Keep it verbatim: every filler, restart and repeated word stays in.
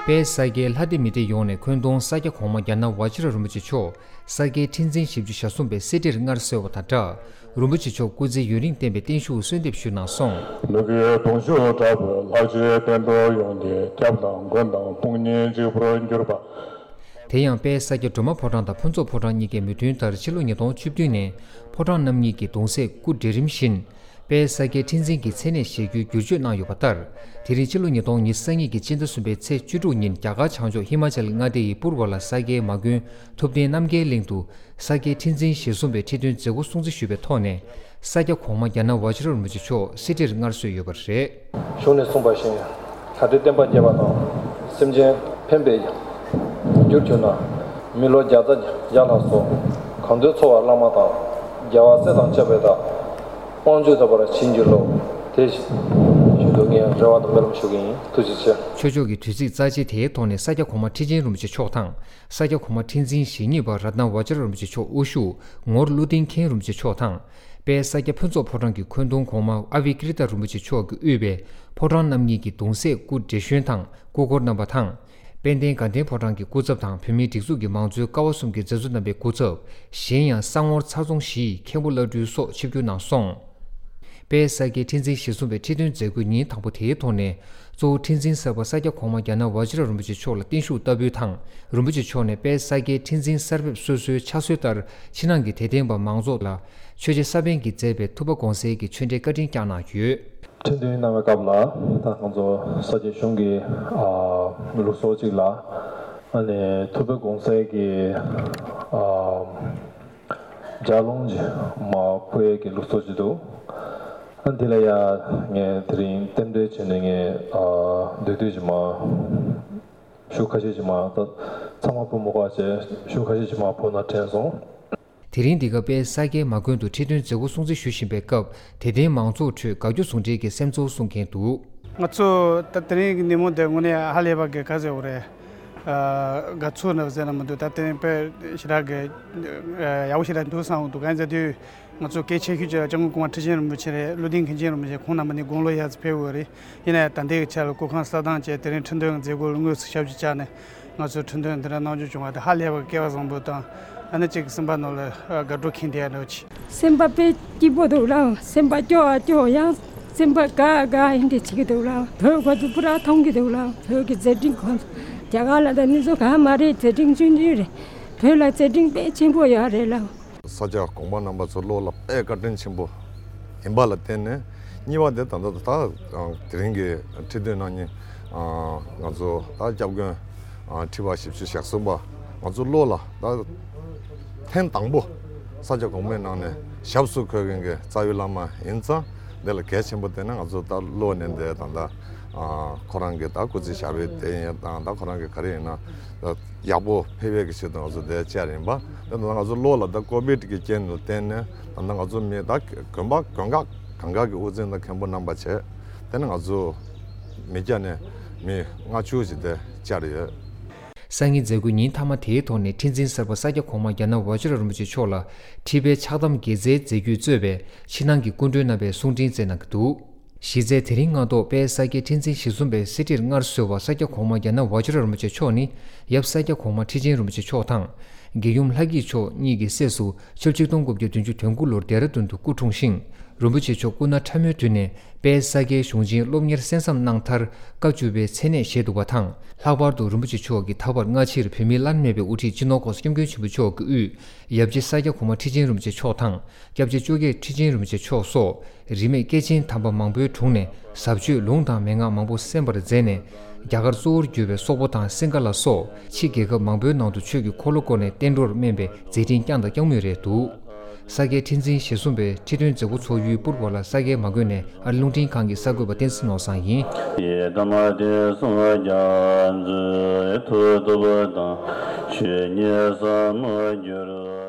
དཔལ་ས་སྐྱའི་ལྷ་སྡེ་མི་སྡེ་ཡོངས་ནས་འཁོན་གདོང་ས་སྐྱ་གོང་མ་རྒྱ་ནག་ཝ་ཅི་ར་རིན་པོ་ཆེ་མཆོག་ས་སྐྱའི་ཁྲི་འཛིན་བཞི་བཅུ་ཞེ་གསུམ་པའི་གསེར་ཁྲིར་མངའ་གསོལ་བ་དང་སྦྲགས། རིན་པོ་ཆེ་མཆོག་སྐུ་ཚེ་ཡུན་རིང་བརྟན་པའི་བརྟན་བཞུགས་གསོལ་འདེབས་ཞུ་གནང་སོང་། ལུ་གུའི་གདུང་ཤུགས་དྲག་པོས་ལྷག་བཅས་བསྟན་འགྲོ་ཡོངས་ཀྱི་སྐྱབས་དང་མགོན་དང་དཔུང་གཉེན་གཅིག་པུར་གྱུར་པ། དེ་ཡང་དཔལ་ས་སྐྱ་སྒྲོལ་མ་ཕོ་བྲང་དང་ཕུན་ཚོགས་ཕོ་བྲང་གཉིས་ཀས་མོས་མཐུན་ལྟར་ཕྱི་ལོ་ཉིས་སྟོང་བཅུ་བདུན་ནས་ཕོ་བྲང་རྣམ་གཉིས་ཀྱི་གདུང་སྲས་སྐུ་བགྲེས་རིམ་བཞིན། དཔལ་ས་སྐྱའི་ཁྲི་འཛིན་གྱི་མཚན་གནས་བཞེས་རྒྱུའི་བསྒྱུར་བཅོས་གནང་ཡོད་པ་ལྟར། དེ་རིང་ཕྱི་ལོ་ཉིས་སྟོང་ཉི་ཤུ་རྩ་གཉིས་ཀྱི་སྤྱི་ཟླ་གསུམ་པའི་ཚེས་བཅུ་དྲུག་ཉིན་རྒྱ་གར་བྱང་ཕྱོགས་ཧི་མ་ཅལ་མངའ་སྡེ་ཡི་པུར་བ་ལ་ས་སྐྱའི་མ་དགོན་ཐུབ་བསྟན་རྣམ་རྒྱལ་གླིང་དུ། ས་སྐྱའི་ཁྲི་འཛིན་ཞེ་གསུམ་པའི་ཁྲི་སྟོན་མཛད་སྒོ་སྲུང་བརྩི་ཞུས་པའི་ཐོག་ནས། ས་སྐྱ་གོང་མ་རྒྱ་ནག་ཝ་ཅི་ར་རིན་པོ་ཆེ་མཆོག་གསེར་ཁྲིར་མངའ་གསོལ་ཡོད་པ་རེད། གཞུང་ནས་གསུངས་པ་བཞིན། ལྷ་སྡེ་བསྟན་པ་རྒྱས་པ་དང་། སེམས་ཅན་ཕན་པའི་རྒྱུར་གྱུར་ན། མི་ལོ་བརྒྱ་རྩ་བརྒྱ་ལ་སོགས། གང་འདུལ་འཚོ་བ་བླ་མ་དང་། རྒྱལ་བ་སྲས་དང་བཅས་པའི་བདག་དབང་བཅུ་ཐོབ་པར་བྱིན་གྱིས་རློབས། དེ་བཞིན་དུ་ངས་རེ་བ་དང་སྨོན་ལམ་ཞུ་གི་ཡིན། ཐུགས་རྗེ་ཆེ། ཆོས་ཕྱོགས་ཀྱི་དུས་ཚིགས་རྩ་ཆེ་དེའི་ཐོག་ནས་ས་སྐྱ་གོང་མ་ཁྲི་ཆེན་རིན་པོ་ཆེ་མཆོག་དང་། ས་སྐྱ་གོང་མ་ཁྲི་འཛིན་ཞེ་གཉིས་པ་རཏྣ་ཝ་ཅི་ར་རིན་པོ་ཆེ་མཆོག་དབུ་བཞུགས་ངོར་ཀླུ་ལྡིང་མཁན་རིན་པོ་ཆེ་མཆོག་དང་། དཔལ་ས་སྐྱ་ཕུན་ཚོགས་ཕོ་བྲང་གི་འཁོན་གདོང་གོང་མ་ཨ་བྷི་ཀྲི་ཏ་རིན་པོ་ཆེ་མཆོག་གིས་དབུས་པའི་ཕོ་བྲང་རྣམ་གཉིས་ཀྱི་གདུང་སྲས་སྐུ་བགྲེས་གཞོན་དང་སྐུ་འཁོར་རྣམ་པ་དང་། དཔལ་ལྡན་དགའ་ལྡན་ཕོ་བྲང་གི་སྐུ་ཚབ་དང་བོད་མིའི་སྒྲིག་འཛུགས་ཀྱི་མང་གཙོའི་ཀ་བ་གསུམ་གྱི་མཛད་གཙོ་རྣམ་པའི་སྐུ་ཚབ། གཞན་ཡང་ས་ངོར་ཚྭ་རྫོང་གཞིས་མཁན་པོ་བླ་སྤྲུལ་སོགས་ཆིབས་བསྒྱུར་གནང་སོང་། དཔལ་ས་སྐྱའི་ཁྲི་འཛིན་ཞེ་གསུམ་པའི་ཁྲི་སྟོན་མཛད་སྒོའི་ཉིན་དང་པོ་དེའི་ཐོག་ནས། གཙོ་བོ་ཁྲི་འཛིན་གསར་པ་ས་སྐྱ་གོང་མ་རྒྱ་ནག་ཝ་ཅི་ར་རིན་པོ་ཆེ་མཆོག་ལ་བརྟན་བཞུགས་བསྟར་འབུལ་དང་། རིན་པོ་ཆེ་མཆོག་ནས་དཔལ་ས་སྐྱའི་ཁྲི་འཛིན་གསར་ཕེབས་སོ་སོའི་ཕྱག་སྲོལ་ལྟར་ཕྱི་ནང་གི་དད་ལྡན་པ་མང་ཚོགས་ལ་ཆོས་རྗེ་ས་པཎ་གྱིས་མཛད་པའི་ཐུབ་པ་དགོངས་གསལ་གྱི་ཆོས་འབྲེལ་བཀའ་དྲིན་བསྐྱངས་གནང་ཡོད། ཁྲི་འདོན་གནང་བའི་སྐབས་ལ་ད་ང་ཚོ་ས་སྐྱའི་གཞུང་གི་ཨ་ལུགས་སྲོལ་གཅིག་ལ། ཨ་ནི་ཐུབ་པ་དགོངས་གསལ་གྱི་ཨ་ལྗགས་ལུང་ཅིག་མར་ཕུལ་ཡས་ཀྱི་ལུགས་སྲོལ་ཅིག་འདུག་ཨ་འདི་ལ་ཡ་ངས་དེ་རིང་རྟེན་འབྲེལ་བྱས་ནས་ངས་ཨ་འདུས་སྡོད་ཅིག་མར་ཤུགས་ཁ་ཤས་ཅིག་མར་ད་ཚང་མ་ཕུལ་མི་དགོས་པ་བྱས་ཤུགས་ཁ་ཤས་ཅིག་མར་ཕུལ་ན་དྲན་སོང་། དེ་རིང་འདི་ག་དཔལ་ས་སྐྱའི་མ་དགོན་དུ་ཁྲི་སྟོན་མཛད་སྒོ་སྲུང་བརྩི་ཞུ་བཞིན་པའི་སྐབས་དད་ལྡན་མང་ཚོགས་ཁྲོད་དགའ་སྐྱོ་ཟུང་འབྲེལ་གྱི་སེམས་ཚོར་གསུང་མཁན་འདུག་ང་ཚོ་ད་དེ་རིང་གི་ཉིན་མོ་འདི་དངོས་གནས་ཧ་ལས་པ་གི་ག་ཟེར་དགོས་རེད། ཨ་དགའ་ཚོར་ནི་ཟེར་ན་མི་འདུག་ད་དེ་རིང་དཔེ་ཞེ་དྲག་གི་ཨ་ཡག་པོ་ཞེ་དྲག་འདུག་བསམ་འདུག་གང་ཡིན་ཟེར་དུས་ང་ཚོ་གལ་ཆེ་ཤོས་ཅིག་ལ་སྐྱབས་མགོན་གོང་མ་ཁྲི་ཆེན་རིན་པོ་ཆེ་རེད། ཀླུ་ལྡིང་མཁན་ཆེན་རིན་པོ་ཆེ་ཁོང་རྣམ་པ་ནི་དགུང་ལོ་ཡར་ཙམ་ཕེབས་ཡོད་རེད། ཡིན་ན་ཡང་ད་ལྟའི་ཆ་ལ་སྐུ་ཁམས་གསལ་ཐང་བཅས་དེ་རིང་ཁྲི་འདོན་མཛད་སྒོ་ལ་དངོས་སུ་ཞབས་ཕྱི་བཅར་ནས། ང་ཚོའི་ཁྲི་འདོན་འདི་འདྲ་གནང་རྒྱུ་བྱུང་བ་དེ་ཧ་ལས་པ་སྐལ་བ་བཟང་པོ་དང་། ཨ་ནི་གཅིག་སེམས་པ་ནང་ལ་དགའ་སྤྲོ་ཁེངས་བསྡད་ཡ་འདྲ་བོ་ཅིག་སེམས་པ་དཔེ་སྐྱིད་པོ་འདུག་ལགས། སེམས་པ་སྐྱོ་བ་སྐྱོ་ཡང་སེམས་པ་དགའ་དགའ་ཡིན་དེ་བྱེད་ཀྱི་འདུག་ལགས། བོད་ཁོ་ཚོ་པུ་ར་མཐོང་གི་འདུག་ལགས། བོད་ཀྱི་མཛད་འཕྲིན་ཁོ་ཚོ་རྒྱ་གར་ལ་དང་ནི་ཚོ་ག་མ་རེད། མཛད་འཕྲིན་ཆུང་ཆུང་རེད། བོད་ལ་མཛད་འཕྲིན་དཔེ་ཆེན་པོ་ཡོད་རེད་ལགས། ས་སྐྱ་གོང་མ་རྣམ་པ་ཚོ་བློ་ལ་དཔེ་བཀའ་དྲིན་ཆེན་པོ་ཡིན་པ་ལ་བརྟེན་ནས། གཉིས་པ་དེ་ད་ལྟ་ད་དེ་རིང་གི་ཁྲི་འདོན་གནང་ཉིན་ང་ཚོ་ད་སྐྱབས་མགོན་ཁྲི་པ་བཞི་བཅུ་ཞེ་གསུམ་པ་ང་ཚོ་བློ་ལ་ད་ཐེངས་དང་པོ་ས་སྐྱ་གོང་མའི་ནང་ནས་ཞབས་སུ་འཁོད་མཁན་གྱི་རྩ་བའི་བླ་མ་ཡིན་ཙང་། འདི་ལ་གལ་ཆེན་པོ་བསྟན་ན་ང་ཚོ་ད་བློ་ནས་འདི་ད་ལྟ་ཁོ་རང་གི་ད་སྐུ་ཚེ་ཞབས་པད་བརྟན་ཡས་དང་། ད་ཁོ་རང་གི་ག་རེ་ཡིན་ན་ད། ཡག་པོ་ཕེབས་ཡས་ཀྱི་ཆེད་དུ་ང་ཚོ་འདིར་བཅར་ཡིན་པ། དེ་ད་ང་ཚོ་བློ་ལ་ད་ཀོ་བིད་ཀྱི་རྐྱེན་དུ་བརྟེན་ནས་ད་ལྟ་ང་ཚོ་མི་ད་དགོན་པ་དགོན་ཁག་གང་ག་གི་དབུ་འཛིན་དང་མཁན་པོ་རྣམ་པ་བྱས། དེ་ནས་ང་ཚོ་མི་སྐྱ་ནས་མི་ལྔ་བཅུ་ཞིག་འདིར་བཅར་ཡོད། སང་ཉིན་མཛད་སྒོའི་ཉིན་མཐའ་མ་དེའི་ཐོག་ནས་ཁྲི་འཛིན་གསར་པ་ས་སྐྱ་གོང་མ་རྒྱ་ནག་ཝ་ཅི་ར་རིན་པོ་ཆེ་མཆོག་ལ་ཁྲི་པའི་ཕྱག་དམ་དགྱེས་སྩལ་མཛད་རྒྱུས་གཙོས་པའི་ཕྱི་ནང་གི་སྐུ་མགྲོན་རྣམ་པས་གསུང་འཕྲིན་བསྩལ་གནང་གི་འདུག་གཞི་རྩའི་དེ་རིང་སྔ་དྲོ་དཔལ་ས་སྐྱའི་ཁྲི་འཛིན་ཞེ་གསུམ་པའི་གསེར་ཁྲིར་མངའ་གསོལ་བ་ས་སྐྱ་གོང་མ་རྒྱ་ནག་ཝ་ཅི་ར་རིན་པོ་ཆེ་མཆོག་ནི་ཡབ་ས་སྐྱ་གོང་མ་ཁྲི་ཆེན་རིན་པོ་ཆེ་མཆོག་དང་། དགེ་ཡུམ་ལྷ་སྐྱིད་མཆོག་གཉིས་ཀྱི་སྲས་སུ་ཆིག་སྟོང་དགུ་བརྒྱ་བདུན་ཅུ་དོན་དགུ་ལོར་ལྡེ་ར་ལྡུན་དུ་སྐུ་འཁྲུངས་ཤིང་། རིན་པོ་ཆེ་མཆོག་སྐུ་ན་ཕྲ་མོའི་དུས་ནས་དཔལ་ས་སྐྱའི་གཞུང་ཆེན་སློབ་གཉེར་གསན་བསམ་གནང་མཐར་བཀའ་བཅུ་པའི་མཚན་གནས་བཞེས་འདུག་པ་དང་། ལྷག་པར་དུ་རིན་པོ་ཆེ་མཆོག་གིས་ད་བར་སྔ་ཕྱིར་བོད་མིའི་བླ་ན་མེད་པའི་དབུ་ཁྲིད་སྤྱི་ནོར་༸གོང་ས་༸སྐྱབས་མགོན་ཆེན་པོ་མཆོག་གི་དབུས་ཡབ་རྗེ་ས་སྐྱ་གོང་མ་ཁྲི་ཆེན་རིན་པོ་ཆེ་མཆོག་དང་། སྐྱབས་རྗེ་བཅོ་བརྒྱད་ཁྲི་ཆེན་རིན་པོ་ཆེ་མཆོག་སོགས། རིས་མེད་སྐྱེས་ཆེན་དམ་པ་མང་པོའི་དྲུང་ནས་ཟབ་ཆོས་ལུང་དང་མན་ངག་མང་པོ་གསན་པར་མཛད་ནས། རྒྱ་གར་གཙོ་བོར་གྱུར་པའི་སོག་པོ་དང་སིང་ག་ལ་སོགས་ཕྱི་རྒྱལ་ཁབ་མང་པོའི་ནང་དུ་ཆོས་ཀྱི་འཁོར་ལོ་བསྐོར་ནས་བསྟན་འགྲོར་སྨན་པའི་མཛད་འཕྲིན་བསྐྱངས་དང་བསྐྱང་མུས་རེད་འདུག་ས་སྐྱའི་ཁྲི་འཛིན་ཞེ་གསུམ་པའི་ཁྲི་སྟོན་མཛད་སྒོ་ཚོགས་ཡུལ་པུར་བ་ལ་ས་སྐྱའི་མ་དགོན་ནས་ཨ་རི་རླུང་འཕྲིན་ཁང་གི་གསར་འགོད་པ་བསྟན་འཛིན་ནོར་བཟང་ཡིན། ཡི་དམ་དེ་སོང་རྒྱ་མཛོད་ཐུགས་སྟོབས་དང་ཆོས་ཉིད་ཟབ་མོ་གྱུར།